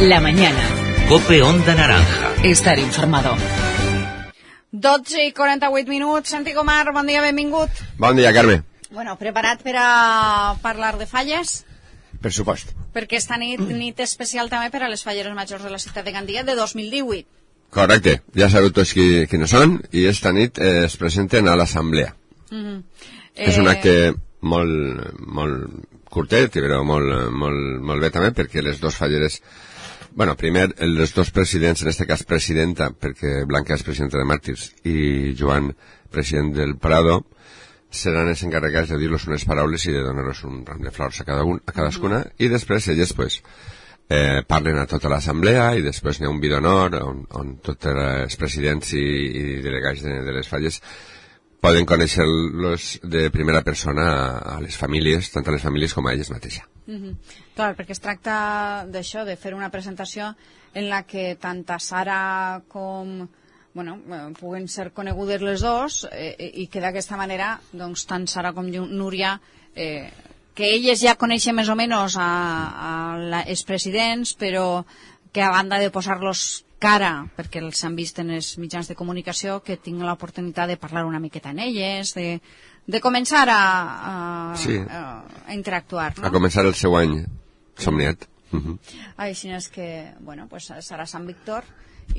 La mañana. COPE Onda Naranja. Estar informado. 12:48. Santi Comar, bon dia, benvingut. Bon dia, Carme. Bueno, preparat per a parlar de falles? Per supost. Perquè esta nit especial també per a les falleres majors de la ciutat de Gandia de 2018. Correcte, ja sabeu tots quines són i esta nit es presenten a l'assemblea. És un acte molt curtet, però molt bé també, perquè les dues falleres, bueno, primer, els dos presidents, en este cas presidenta, perquè Blanca és presidenta de Màrtirs i Joan, president del Prado, seran els encarregats de dir-los unes paraules i de donar-los un ram de flors a cadascuna, i després elles, pues, parlen a tota l'assemblea i després n'hi ha un vi d'honor on tots els presidents i delegats de les falles poden conèixer-los de primera persona a les famílies, tant a les famílies com a elles mateixes. Clar, perquè es tracta d'això, de fer una presentació en la que tant a Sara com... bueno, puguen ser conegudes les dos i que d'aquesta manera, doncs, tant Sara com Núria, que elles ja coneixen més o menys els presidents, però que a banda de posar-los cara, perquè els han vist en els mitjans de comunicació, que tinguin l'oportunitat de parlar una miqueta en elles, de començar a interactuar, no? A començar el seu any somniat. Així és que, bueno, pues Sara Sant Víctor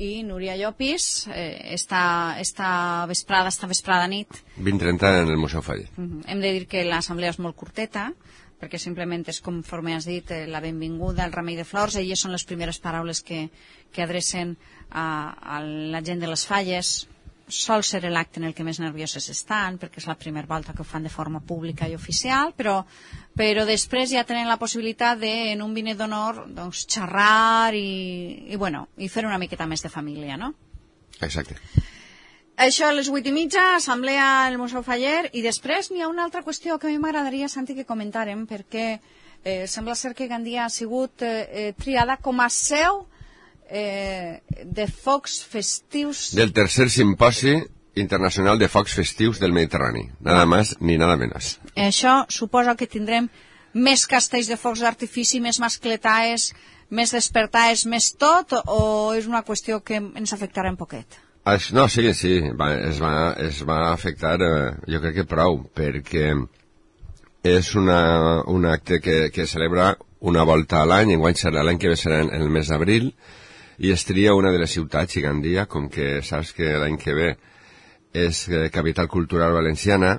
i Núria Llopis esta vesprada nit 20:30 en el Museu Faller. Hem de dir que l'assemblea és molt curteta, perquè simplement és, conforme has dit, la benvinguda, el remei de flors. Elles són les primeres paraules que adrecen a la gent de les falles. Sol ser l'acte en el que més nervioses estan, perquè és la primera volta que ho fan de forma pública i oficial, però després ja tenen la possibilitat de, en un vinet d'honor, doncs, xerrar i fer una miqueta més de família, no? Exacte. Això a les 8:30, assemblea al Museu Faller, i després n'hi ha una altra qüestió que a mi m'agradaria, Santi, que comentàrem, perquè sembla ser que Gandia ha sigut triada com a seu de focs festius... Del tercer simposi internacional de focs festius del Mediterrani. Nada más ni nada menos. Això suposa que tindrem més castells de focs d'artifici, més mascletaes, més despertaes, més tot, o és una qüestió que ens afectarà un poquet? No, sí, es va afectar, jo crec que prou, perquè és un acte que celebra una volta a l'any, enguany serà l'any que ve serà en el mes d'abril, i es tria una de les ciutats, i Gandia, com que saps que l'any que ve és capital cultural valenciana,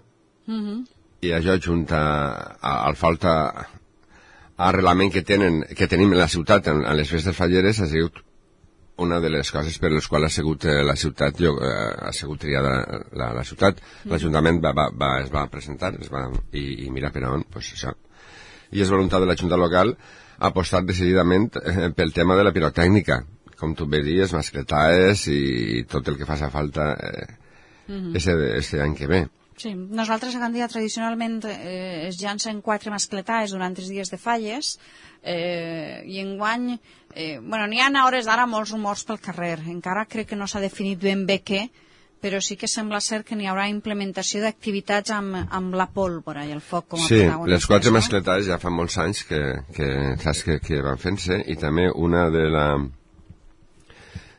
i això junta al falta arrelament que tenim en la ciutat, en les festes falleres, ha sigut una de les coses per les quals ha sigut la ciutat, ha sigut triada la ciutat. L'Ajuntament es va presentar i mira per on, pues això. I és voluntat de la Junta local apostar decididament pel tema de la pirotècnica, com tu bé dius, mascletaes i tot el que faci falta este any que ve. Sí, nosaltres a Gandia tradicionalment es llancen 4 mascletaes durant 3 dies de falles, i enguany n'hi ha a hores d'ara molts rumors pel carrer, encara crec que no s'ha definit ben bé què, però sí que sembla ser que n'hi haurà implementació d'activitats amb la pólvora i el foc com a protagonistes. Sí, les 4 mascletaes ja fa molts anys que van fent-se, i també una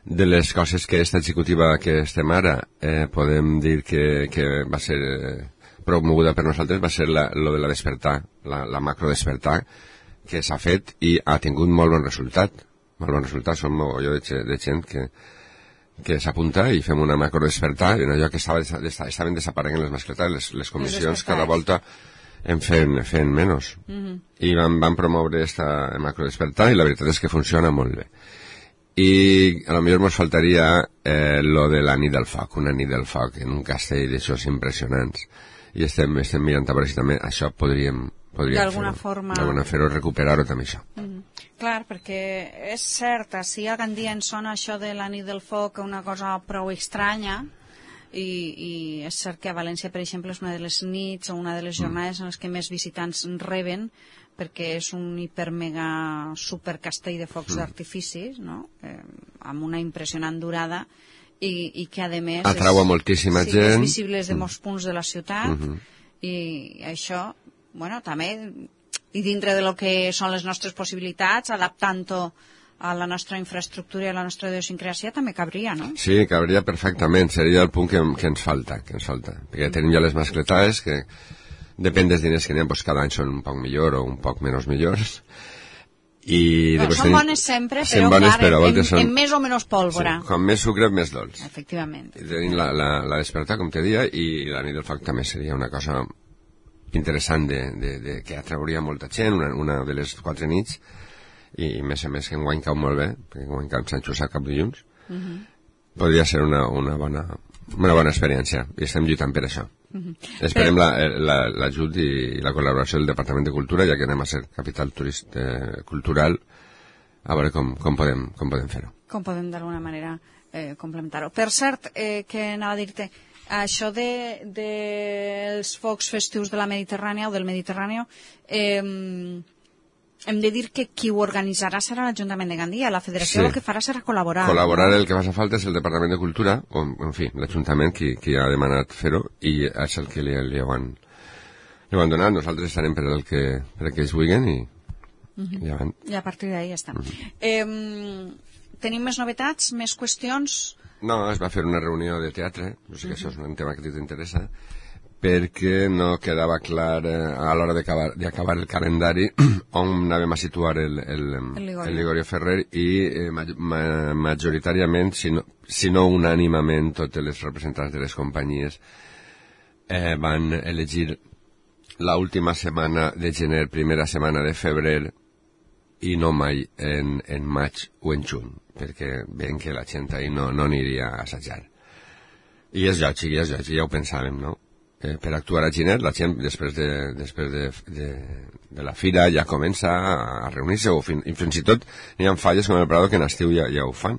de les coses que esta executiva que estem ara podem dir que va ser promoguda per nosaltres va ser lo de la despertar, la macro despertar, que s'ha fet i ha tingut molt bon resultat. Molt bon resultat, som un mogolló de gent que s'apunta i fem una macro despertar, en allò que estaven desapareguent les mascletes, les comissions cada volta en fent menys. I van promoure esta macro despertar i la veritat és que funciona molt bé. I a lo millor ens faltaria lo de la nit del foc, una nit del foc en un castell d'aixòs impressionants, i estem mirant a veure si també això podríem d'alguna forma fer-ho, recuperar-ho també això. Clar, perquè és cert, si a Gandia ens sona això de la nit del foc una cosa prou estranya, i és cert que a València, per exemple, és una de les nits o una de les jornades en les que més visitants reben, perquè és un hiper-mega supercastell de focs d'artifici, no? Amb una impressionant durada, i que, a més, atrau a moltíssima gent. És visible de molts punts de la ciutat, i això, bueno, també, i dintre de lo que són les nostres possibilitats, adaptant-ho a la nostra infraestructura i a la nostra idiosincràsia també cabria, no? Sí, cabria perfectament, seria el punt que ens falta, perquè tenim ja les mascletades que depèn dels diners que n'hi ha, doncs cada any són un poc millor o un poc menys millors. Són bones sempre, però en més o menys pólvora. Sí, com més sucre, més dolç. Efectivament. I tenim la despertar, com te dia, i la nit del foc també seria una cosa interessant que atrauria molta gent, una de les 4 nits, i més a més que enguany cau molt bé, perquè enguany cau Sant Josep cap dilluns, podria ser una bona experiència, i estem lluitant per això. Esperem l'ajut i la col·laboració del Departament de Cultura, ja que anem a ser capital cultural, a veure com podem fer-ho. Com podem d'alguna manera complementar-ho. Per cert, que anava a dir-te, això dels focs festius de la Mediterrània o del Mediterrani, hem de dir que qui ho organitzarà serà l'Ajuntament de Gandia. La Federació el que farà serà col·laborar. Col·laborar, el que fa falta és el Departament de Cultura, o, en fi, l'Ajuntament qui ha demanat fer-ho, i és el que li ho han donat. Nosaltres estarem per el que ells vulguin i a partir d'ahí ja està. Tenim més novetats, més qüestions? No, es va fer una reunió de teatre, no sé que això és un tema que a ti t'interessa, perquè no quedava clar a l'hora d'acabar el calendari on anàvem a situar el Ligorio Ferrer, i majoritàriament, si no unànimament, totes les representants de les companyies van elegir l'última setmana de gener, primera setmana de febrer, i no mai en maig o en juny, perquè veiem que la gent ahir no aniria a assajar. I és lògic, ja ho pensàvem, no? Per actuar a gener, la gent després de la fira ja comença a reunir-se, i fins i tot hi ha falles com el Prado que en estiu ja ho fan.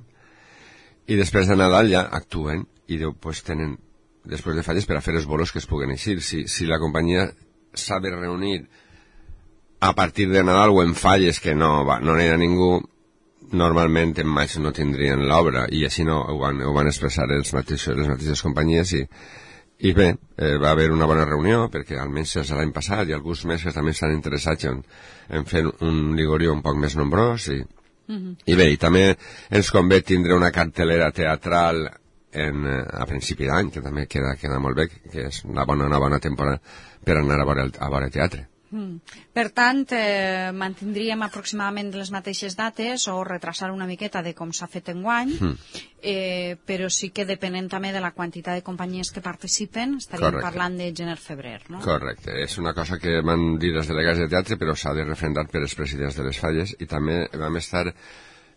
I després de Nadal ja actuen i després tenen després de falles per a fer els bolos que es puguen eixir. Si la companyia s'ha de reunir a partir de Nadal o en falles que no n'hi ha ningú, normalment en maig no tindrien l'obra, i així ho van expressar les mateixes companyies, i bé, va haver una bona reunió, perquè almenys és l'any passat i alguns mesos també s'han interessat en fer un Ligorio un poc més nombrós, i bé, i també ens convé tindre una cartelera teatral a principi d'any, que també queda molt bé, que és una bona temporada per anar a veure teatre. Per tant, mantindríem aproximadament les mateixes dates o retrasar una miqueta de com s'ha fet enguany, però sí que depenent també de la quantitat de companyies que participen, estaríem parlant de gener-febrer, no? Correcte, és una cosa que van dir els delegats de teatre, però s'ha de refrendar per els presidents de les falles, i també vam estar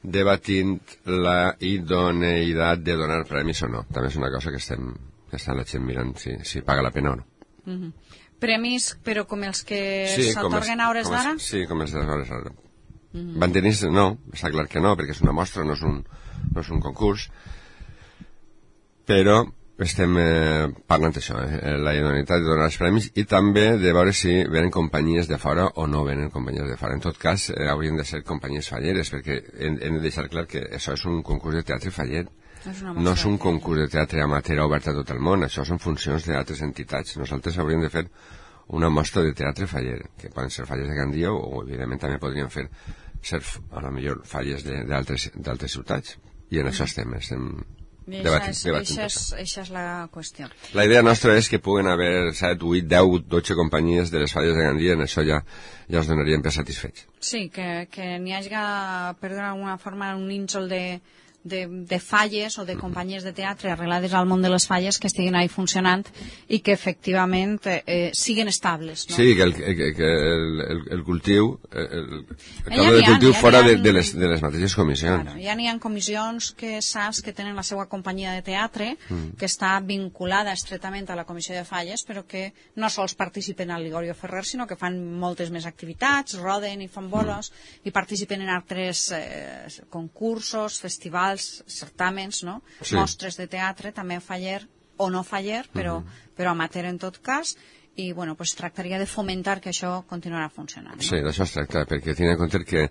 debatint la idoneïtat de donar premis o no. També és una cosa que està la gent mirant si paga la pena o no. Premis, però com els que s'atorguen a hores d'ara? Sí, com els de hores d'ara. Banderins, no, està clar que no, perquè és una mostra, no és un concurs, però estem parlant d'això, la idoneïtat de donar els premis, i també de veure si venen companyies de fora o no venen companyies de fora. En tot cas, haurien de ser companyies falleres, perquè hem de deixar clar que això és un concurs de teatre faller. No és un concurs de teatre amateur obert a tot el món, això són funcions d'altres entitats. Nosaltres hauríem de fer una mostra de teatre faller, que poden ser falles de Gandia, o evidentment també podríem ser a lo millor falles d'altres ciutats, i en això estem debatint. Això és la qüestió. La idea nostra és que puguen haver 7, 8, 10, 12 companyies de les falles de Gandia, en això ja els donaríem per satisfets. Sí, que n'hi hagi, per d'alguna forma, un nínxol de falles o de companyies de teatre arrelades al món de les falles que estiguin ahí funcionant i que efectivament siguin estables, no? Sí, que el cultiu el cultiu fora de les mateixes comissions. Claro, ja n'hi ha comissions que saps que tenen la seva companyia de teatre que està vinculada estretament a la comissió de falles, però que no sols participen al Ligorio Ferrer, sinó que fan moltes més activitats, roden i fan bolos i participen en altres concursos, festivals, certàmens, no? Sí. Mostres de teatre, també faller o no faller, però amateur en tot cas, i bueno, pues tractaria de fomentar que això continuarà funcionant, no? Sí, d'això es tracta, perquè tinc en compte que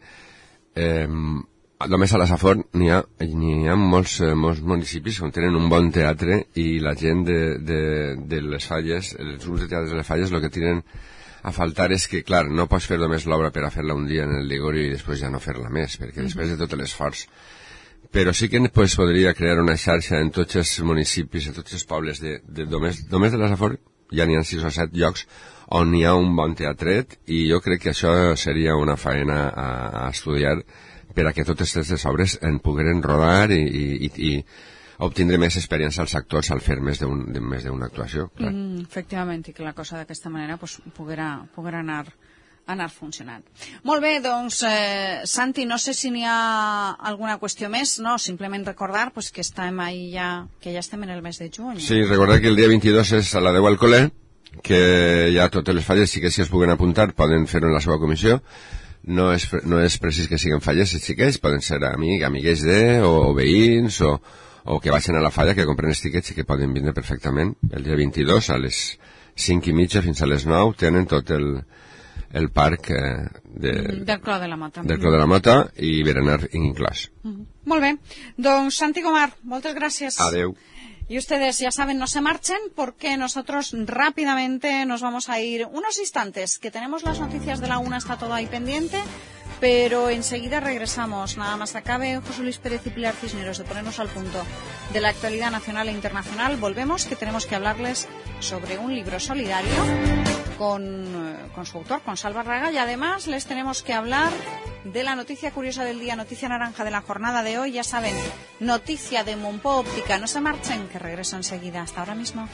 només a la Safor n'hi ha molts municipis on tenen un bon teatre, i la gent de les falles, els grups de teatre de les falles, el que tienen a faltar és que, clar, no pots fer només l'obra per a fer-la un dia en el Ligorio i després ja no fer-la més, perquè després de tot l'esforç. Però sí que pues, podria crear una xarxa en tots els municipis, en tots els pobles només de la Safor, ja n'hi ha 6 o 7 llocs on hi ha un bon teatret, i jo crec que això seria una faena a estudiar per a que totes aquestes obres en pogueren rodar i obtindre més experiència als actors al fer més d'una actuació. Efectivament, i que la cosa d'aquesta manera pues, poguera anar funcionant. Molt bé, doncs, Santi, no sé si n'hi ha alguna qüestió més, no? Simplement recordar pues, que estem ahí que ja estem en el mes de juny. Sí, recordar que el dia 22 és a la 10 al col·le, que ja totes les falles sí que si es puguen apuntar poden fer-ho en la seva comissió. No és precís que siguin falles els xiquets, poden ser amigues o veïns o que vagin a la falla, que compren els tiquets i que poden vindre perfectament. El dia 22 a les 5:30 fins a les 9 tenen tot el parc del Clos de la Mota. Del Clos de la Mota i berenar inclòs. Molt bé. Doncs Santi Gomar, moltes gràcies. Adeu. Y ustedes ya saben, no se marchen porque nosotros rápidamente nos vamos a ir unos instantes, que tenemos las noticias de la 1, está todo ahí pendiente, pero enseguida regresamos. Nada más acabe José Luis Pérez y Pilar Cisneros de ponernos al punto de la actualidad nacional e internacional. Volvemos, que tenemos que hablarles sobre un libro solidario con su autor, con Salva Raga, y además les tenemos que hablar de la noticia curiosa del día, noticia naranja de la jornada de hoy. Ya saben, noticia de Monpó Óptica. No se marchen, que regreso enseguida. Hasta ahora mismo.